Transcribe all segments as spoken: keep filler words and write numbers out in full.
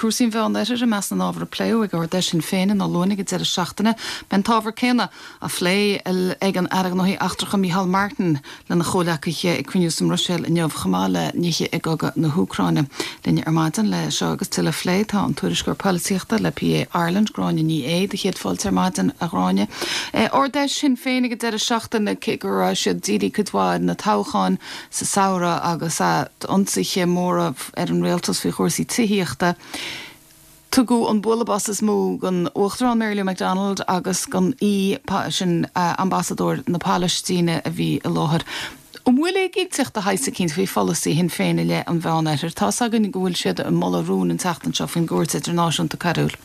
cúrsaí an Mheánoirthir i measc na n-ábhar a pléadh ag Ard-Fheis Shinn Féin i nDún Lúiche ag an deireadh seachtaine. Beidh an t-ábhar céanna á phlé ag an Aire Gnóthaí Eachtracha Micheál Martin lena chomhleacaithe ag cruinniú sa mBruiséil inniu chomh maith le nithe i gcogadh na hÚcráine. Linn ar maidin le seo agus tuilleadh a phlé tá an tuairisceoir polaitíochta le P A Ireland, Gráinne Ní Aodha, céad fáilte ar maidin, a Ghráinne. Ard-Fheis Shinn Féin ag an deireadh seachtaine, cé go raibh siad dírithe cuid mhaith ar na toghcháin sa samhradh agus ionsaithe móra ar an rialtas faoi chúrsaí tithíochta. Tugadh an bualadh bos is mó don Uachtarán Mary Lou McDonald agus don aoi, sin ambasadóir na Palaistíne a bhí i láthair. An bhfuil éiginnteacht de shaghas eicínt faoi pholasaí Shinn Féin i leith an Mheánoirthir? Tá's againn go bhfuil siad ag moladh rún an tseachtain seo faoin gCúirt Idirnáisiúnta Coiriúil.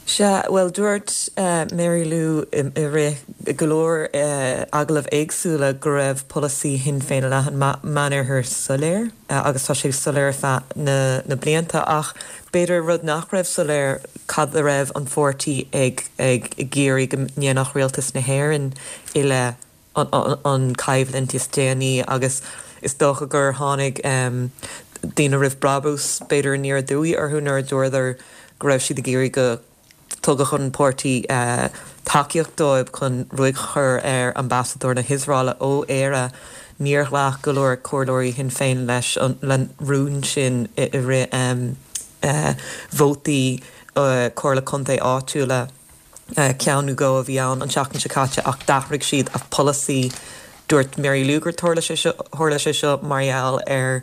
Sea, bhuel, dúirt Mary Lou i rith go leor agallamh éagsúla go raibh polasaí Shinn Féin i leith an Meánoirthir soiléir agus tá sé soiléir ar feadh na blianta ach b'fhéidir rud nach raibh soiléir cad a raibh an pháirtí ag ag iarraidh go ndéanfadh rialtas na hÉireann i leith an choimhlint is déanaí agus is dócha gur tháinig daoine roimh brabús b'fhéidir aniar aduaidh orthu nuair a dúradar go raibh siad ag iarraidh go dtabharfadh an páirtí tacaíocht dóibh chun ruaig a chur ar ambasadóir na hIosraeile ó Éire. Níor ghlac go leor comhairleoirí Shinn Féin leis an rún sin i rith vótaí Comhairle Contae áitiúla, ceann nó dhó a bhí ann an tseachtain seo caite, ach d'athraigh siad a polasaí. Dúirt Mary Lou gur tharla sé seo tharla sé seo mar gheall ar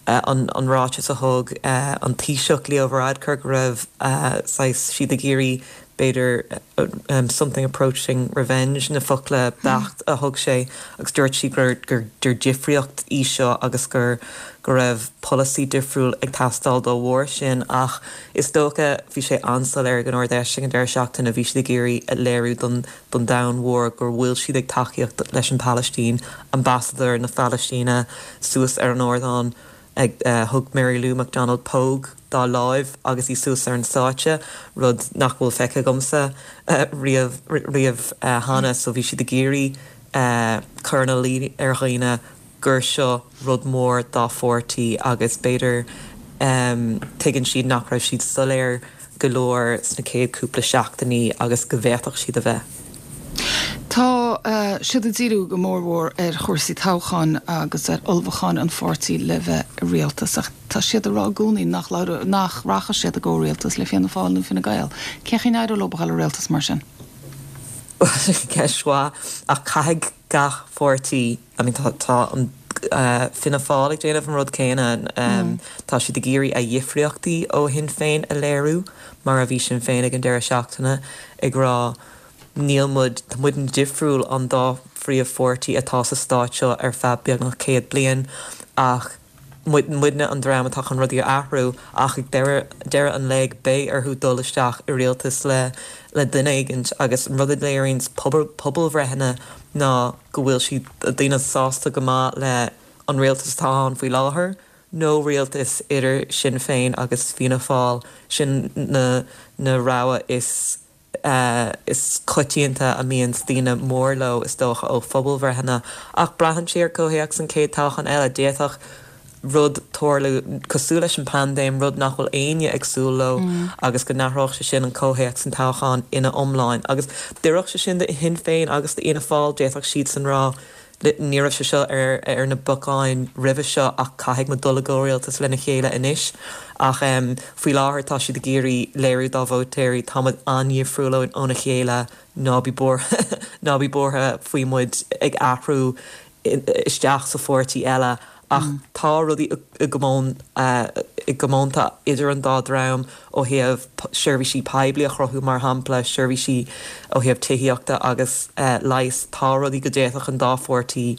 an ráiteas a thug an Taoiseach Leo Varadkar go raibh saghas siad ag iarraidh b'fhéidir something approaching revenge na focla beacht a thug sé agus dúirt sí gur gur difríocht í seo agus gur go raibh polasaí difriúil ag teastáil dá bharr sin. Ach is dócha bhí sé an-soiléir ag an Ard-Fheis ag an deireadh seachtaine, bhí siad ag iarraidh a léiriú don don domhan mhór gur bhfuil siad ag tacaíocht leis an Phalaistín, ambasadóir na Palaistíne suas ar an ardán ag thug Mary Lou McDonald póg dá láimh agus í suas ar an stáitse, rud nach bhfuil feicthe agamsa riamh riamh cheana, so bhí siad ag iarraidh cur ina luí ar dhaoine gur seo rud mór dá pháirtí agus b'fhéidir tuigeann siad nach raibh siad soiléir go leor sna chéad cúpla seachtainí agus go bhféadfadh siad a bheith. Tá siad ag díriú go mórmhór ar chúrsaí toghcháin agus ar ullmhúcháin an pháirtí le bheith i rialtas ach tá siad ag rá i gcónaí nach nach rachaidh siad i gcomhrialtas le Fianna Fáil nó Fine Gael. Cén chaoi a n-éireodh leo a dhul i rialtas mar sin? Ceist mhaith ach caithfidh gach pháirtí, I mean tá tá an Fianna Fáil ag déanamh an rud céanna, tá siad ag iarraidh a dhifríochtaí ó Shinn Féin a léiriú mar a bhí Sinn Féin ag an deireadh seachtaine ag rá níl muid, tá muid difriúil an dá phríomhpháirtí atá sa stát seo ar feadh beagnach céad bliain ach muidne an dream atá chun rudaí a athrú ach ag deireadh an lae beidh orthu dul isteach i rialtas le le duine éigin agus an rud a léiríonn pobalbhreitheanna ná go bhfuil siad daoine sásta go maith le an rialtas atá ann faoi láthair nó rialtas idir Sinn Féin agus Fianna Fáil, sin na na rogha is is coitianta a mbíonn daoine mór leo is dócha ó phobalbhreitheanna. Ach braitheann sé ar comhthéacs an chéad toghchán eile. D'fhéadfadh rud tarlú cosúil leis an bpaindéim, rud nach bhfuil éinne ag súil leo agus go n-athródh sé sin an comhthéacs an toghcháin ina iomláin. Agus d'oirfeadh sé sin do Shinn Féin agus d'Fhianna Fáil, d'fhéadfadh siadsan rá ní raibh sé seo ar ar na bacáin roimhe seo ach caithfidh muid dul i gcomhrialtas lena chéile anois. Ach faoi láthair tá siad ag iarraidh léiriú dá vótóirí, tá muid an-dhifriúil óna chéile, ná bí buartha ná bí buartha faoi muid ag athrú isteach sa pháirtí eile. Ach tá rudaí i gcomún i gcomónta idir an dá dream ó thaobh seirbhísí poiblí a chruthú mar shampla, seirbhísí ó thaobh tithíochta agus leighis. Tá rudaí go d'fhéadfadh an dá pháirtí,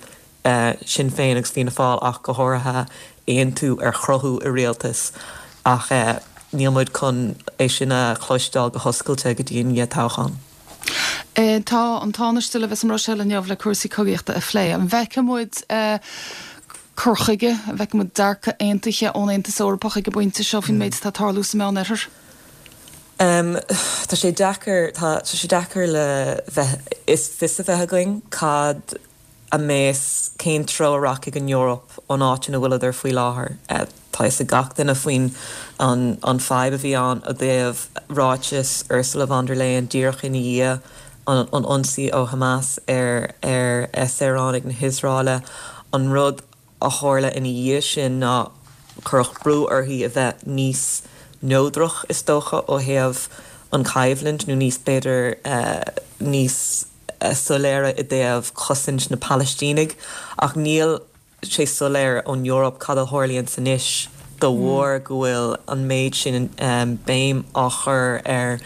Sinn Féin agus Fianna Fáil ach go háirithe, aontú ar chruthú i rialtas ach níl muid chun é sin a chloisteáil go hoscailte go dtí i ndiaidh toghcháin. Tá an Tánaiste le bheith sa mBruiséil inniu le cúrsaí cogaíochta a phlé. An bhfeicfidh muid cur chuige, an bhfeicfidh muid dearcadh aontaithe ón Aontas Eorpach ag an bpointe seo faoin méid atá ag tarlú sa Meánoirthear? Tá sé deacair, tá sé deacair le bheith, is fios a bheith againn cad a mbeas, cén treo a rachaidh an Eoraip ón áit ina bhfuileadar faoi láthair. tá a fhios ag gach duine faoin an an fadhb a bhí ann i dtaobh ráiteas Ursula von der Leyen díreach ina dhiaidh an an ionsaí ó Hamas ar ar saoránaigh na hIosraeile an rud a tharla ina dhiaidh sin ná cuireadh brú uirthi a bheith níos neodrach is dócha ó thaobh an choimhlint nó níos b'fhéidir uh, níos uh, soiléire i dtaobh cosaint na Palaistínigh ach níl sé soiléir ón Eoraip cad a tharlaíonn anois de bharr go bhfuil an méid sin um, béim á chur ar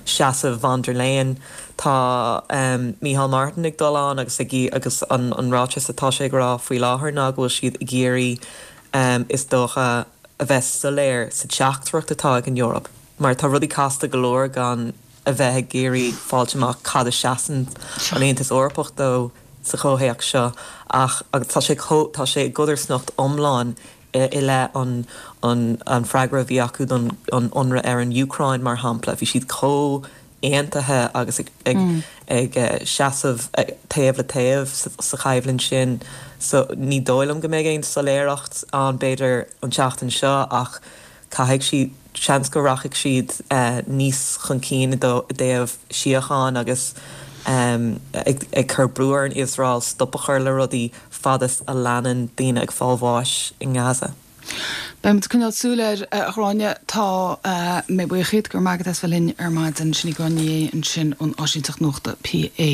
seasamh von der Leyen tá um, Micheál Martin ag dul ann agus ag agus an, an ráiteas atá sé ag rá faoi láthair ná go bhfuil siad ag iarraidh um, is dócha a bheith soiléir sa teachtaireacht atá ag an Eoraip. Mar tá rudaí casta go leor gan a bheith ag iarraidh fáil amach cad a seasann an Aontas Eorpach dó sa chomhthéacs seo ach agus tá sé tá sé codarsnacht iomlán i leith an an an freagra bhí acu don an ionradh ar an Úcráin mar shampla bhí siad chomh aontaithe agus ag ag, mm. ag uh, seasamh taobh le taobh sa, sa choimhlint sin so ní dóigh liom go mbeidh aon soiléireacht ann b'fhéidir an tseachtain seo ach caithfidh siad seans go rachaidh siad uh, níos chun cinn i dtaobh síocháin agus um, ag, ag cur brú ar an Iosrael stop a chur le rudaí fad is a leanann daoine ag fáil bháis i nGaza. Beimid ag coinneáil súil air a Ghráinne tá mé buíoch go maith as bheith linn ar maidin sin í Gráinne ansin ón áisínteacht nuachta PA.